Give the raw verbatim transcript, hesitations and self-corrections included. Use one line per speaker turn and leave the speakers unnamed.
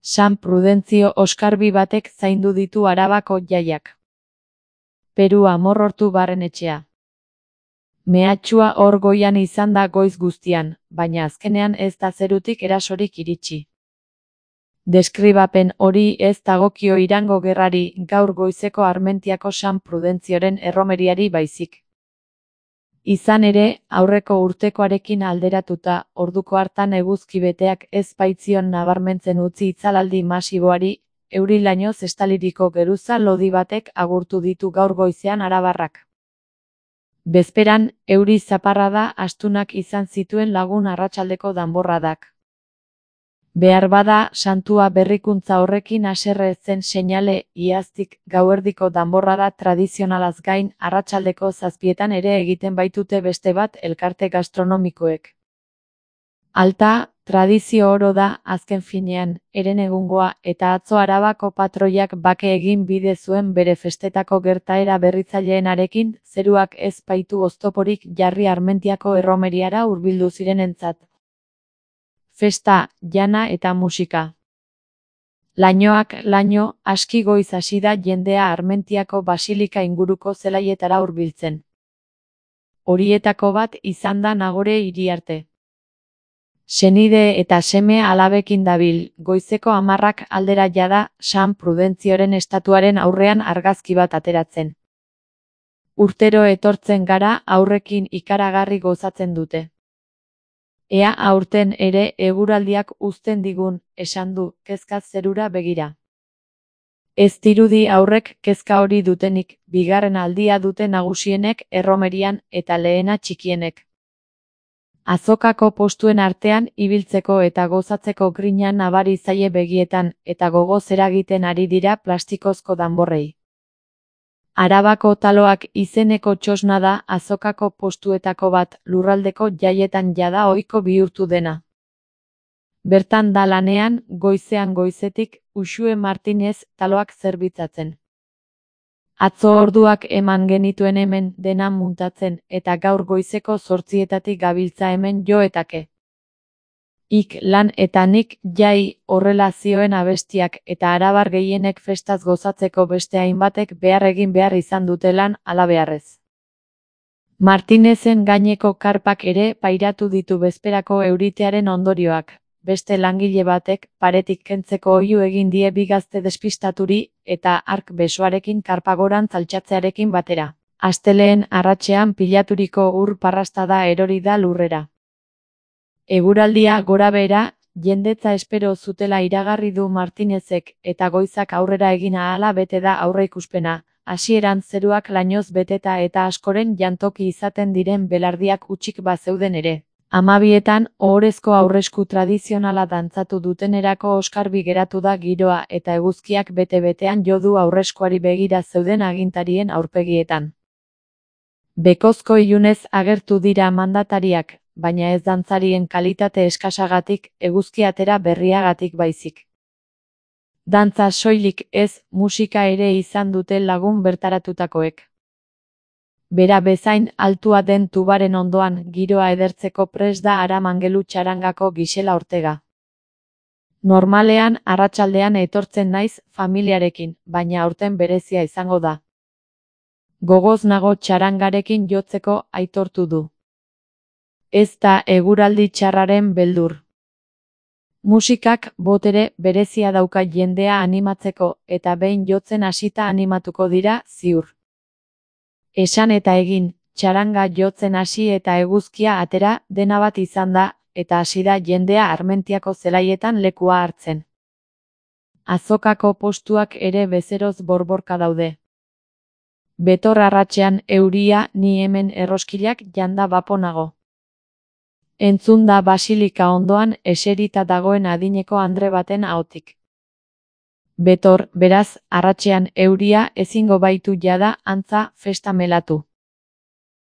San Prudentzio oskarbi batek zaindu ditu Arabako jaiak. Peru amorrortu barrenetxea. Mehatxua hor goian izan da goiz guztian, baina azkenean ez da zerutik erasorik iritsi. Deskribapen hori ez dagokio Irango gerrari, gaur goizeko Armentiako San Prudentzioren erromeriari baizik. Izan ere, aurreko urtekoarekin alderatuta, orduko hartan eguzki beteak ez baitzion nabarmentzen utzi itzalaldi masiboari, euri-lainoz estaliriko geruza lodi batek agurtu ditu gaur goizean arabarrak. Bezperan, euri zaparrada astunak izan zituen lagun arratsaldeko danborradak. Behar bada, santua berrikuntza horrekin haserre zen seinale, iaztik gauerdiko danborrada tradizionalaz gain, arratsaldeko zazpietan ere egiten baitute beste bat elkarte gastronomikoek. Alta, tradizio oro da, azken finean, herenegungoa, eta atzo Arabako patroiak bake egin bide zuen bere festetako gertaera berritzaileenarekin, zeruak ez baitu oztoporik jarri Armentiako erromeriara hurbildu zirenentzat. Festa, jana eta musika. Lainoak laino, aski goiz hasi da jendea Armentiako basilika inguruko zelaietara hurbiltzen. Horietako bat izan da Nagore Iriarte. Senide eta seme alabekin dabil, goizeko hamarrak aldera jada San Prudentzioren estatuaren aurrean argazki bat ateratzen. Urtero etortzen gara aurrekin ikaragarri gozatzen dute. Ea aurten ere eguraldiak uzten digun, esan du, kezkaz zerura begira. Ez dirudi aurrek kezka hori dutenik, bigarren aldia dute nagusienek erromerian eta lehena txikienek. Azokako postuen artean ibiltzeko eta gozatzeko grina nabari zaie begietan, eta gogoz eragiten ari dira plastikozko danborrei. Arabako taloak izeneko txosna da azokako postuetako bat, lurraldeko jaietan jada ohiko bihurtu dena. Bertan da lanean, goizean goizetik, Uxue Martinez taloak zerbitzatzen. Atzo orduak eman genituen hemen dena muntatzen, eta gaur goizeko zortzietatik gabiltza hemen joetake. Ik lan eta nik jai horrela zioen abestiak eta arabar gehienek festaz gozatzeko beste hainbatek behar egin behar izan dute lan halabeharrez. Martinezen gaineko karpak ere pairatu ditu bezperako euritearen ondorioak. Beste langile batek paretik kentzeko oihu egin die bi gazte despistaturi eta hark besoarekin karpagorantz altxatzearekin batera. Asteleen arratsean pilaturiko ur parrastada erori da lurrera. Eguraldia gorabehera, jendetza espero zutela iragarri du Martinezek eta goizak aurrera egin ahala bete da aurreikuspena, hasieran zeruak lainoz beteta eta askoren jantoki izaten diren belardiak hutsik bazeuden ere. Hamabietan, ohorezko aurresku tradizionala dantzatu dutenerako oskarbi geratu da giroa eta eguzkiak bete-betean jo du aurreskuari begira zeuden agintarien aurpegietan. Bekozko ilunez agertu dira mandatariak, baina ez dantzarien kalitate eskasagatik, eguzki atera berriagatik baizik. Dantza soilik ez, musika ere izan dute lagun bertaratutakoek. Bera bezain altua den tubaren ondoan giroa edertzeko prest da Aramangelu txarangako Gisela Ortega. Normalean arratsaldean etortzen naiz familiarekin, baina aurten berezia izango da. Gogoz nago txarangarekin jotzeko aitortu du. Ez da eguraldi txarraren beldur. Musikak botere berezia dauka jendea animatzeko eta behin jotzen hasita animatuko dira ziur. Esan eta egin, txaranga jotzen hasi eta eguzkia atera dena bat izan da, eta hasi da jendea Armentiako zelaietan lekua hartzen. Azokako postuak ere bezeroz borborka daude. Betor arratsean euria ni hemen erroskilak janda bapo nago. Entzun da basilika ondoan eserita dagoen adineko andre baten ahotik. Betor, beraz, arratsean euria ezingo baitu jada antza festa melatu.